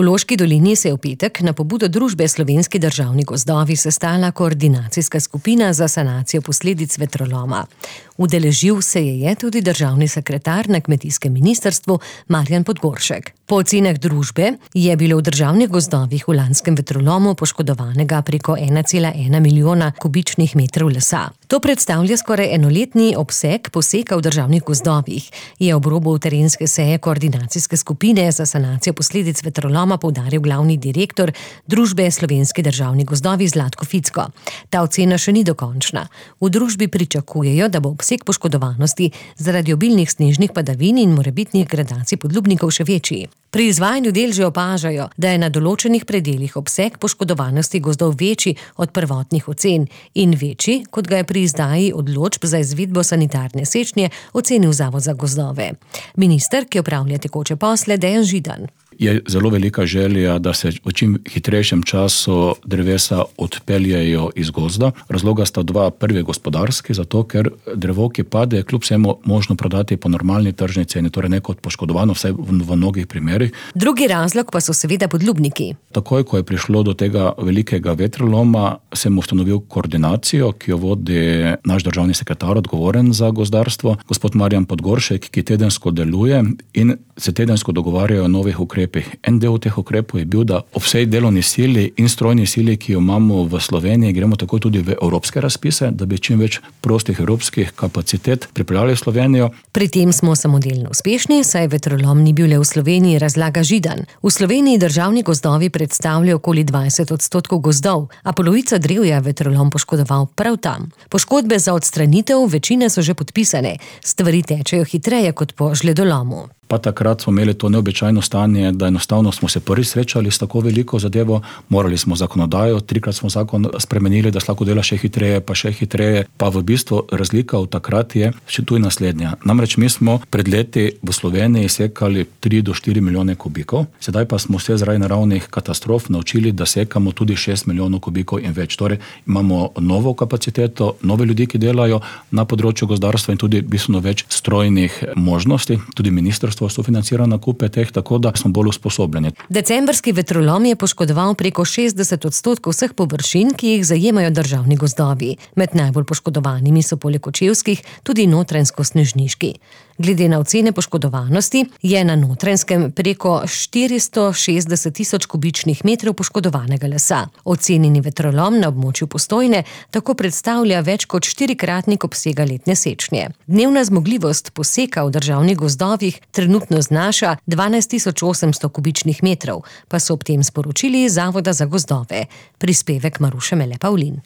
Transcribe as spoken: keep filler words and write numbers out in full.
V Loški dolini se je v petek na pobudo družbe Slovenski državni gozdovi sestala koordinacijska skupina za sanacijo posledic vetroloma. Udeležil se je, je tudi državni sekretar na kmetijskem ministrstvu Marjan Podgoršek. Po ocenah družbe je bilo v državnih gozdovih v lanskem vetrolomu poškodovanega preko ena cela ena milijona kubičnih metrov lesa. To predstavlja skoraj enoletni obseg poseka v državnih gozdovih, je ob robu terenske seje koordinacijske skupine za sanacijo posledic vetroloma poudaril glavni direktor družbe Slovenski državni gozdovi Zlatko Ficko. Ta ocena še ni dokončna. V družbi pričakujejo, da bo obseg poškodovanosti zaradi obilnih snežnih padavin in morebitnih gradacij podlubnikov še večji. Pri izvajanju del že opažajo, da je na določenih predelih obseg poškodovanosti gozdov večji od prvotnih ocen in večji, kot ga je pri izdaji odločb za izvedbo sanitarne sečnje ocenil Zavod za gozdove. Minister, ki opravlja tekoče posle, Dejan Židan. Je zelo velika želja, da se v čim hitrejšem času drevesa odpeljejo iz gozda. Razloga sta dva, prvi gospodarski, zato ker drevo, ki pade, kljub vsemu možno prodati po normalni tržni ceni, torej ne kot poškodovano, vsaj v, v mnogih primerih. Drugi razlog pa so seveda podlubniki. Takoj, ko je prišlo do tega velikega vetroloma, sem ustanovil koordinacijo, ki jo vodi naš državni sekretar, odgovoren za gozdarstvo, gospod Marjan Podgoršek, ki tedensko deluje in se tedensko dogovarjajo o novih ukrepih. En del teh ukrepov je bil, da ob vsej delovni sili in strojni sili, ki jo imamo v Sloveniji, gremo tako tudi v evropske razpise, da bi čim več prostih evropskih kapacitet pripeljali v Slovenijo. Pri tem smo samodelno uspešni, saj vetrolom ni bil le v Sloveniji, razlaga Židan. V Sloveniji državni gozdovi predstavljajo okoli dvajset odstotkov gozdov, a polovico drevja vetrolom poškodoval prav tam. Poškodbe za odstranitev večine so že podpisane, stvari tečejo hitreje kot po žledolomu. Pa takrat smo imeli to neobičajno stanje, da enostavno smo se prvi srečali s tako veliko zadevo, morali smo zakonodajo, trikrat smo zakon spremenili, da se lahko dela še hitreje, pa še hitreje, pa v bistvu razlika od takrat je še tu naslednja. Namreč mi smo pred leti v Sloveniji sekali tri do štiri milijone kubikov, sedaj pa smo se zaradi naravnih katastrof naučili, da sekamo tudi šest milijonov kubikov in več. Torej imamo novo kapaciteto, nove ljudi, ki delajo na področju gozdarstva in tudi bistveno več strojnih možnosti, tudi ministrstvo sofinancira nakupe teh, tako da smo bolj usposobljeni. Decembrski vetrolom je poškodoval preko šestdeset odstotkov vseh površin, ki jih zajemajo državni gozdovi. Med najbolj poškodovanimi so poleg kočevskih tudi notranjsko-snežniški. Glede na ocene poškodovanosti je na Notranjskem preko štiristo šestdeset tisoč kubičnih metrov poškodovanega lesa. Ocenjeni vetrolom na območju Postojne tako predstavlja več kot štirikratnik obsega letne sečnje. Dnevna zmogljivost poseka v državnih gozdovih trenutno znaša dvanajst tisoč osemsto kubičnih metrov, pa so ob tem sporočili iz Zavoda za gozdove. Prispevek Maruše Mele Pavlin.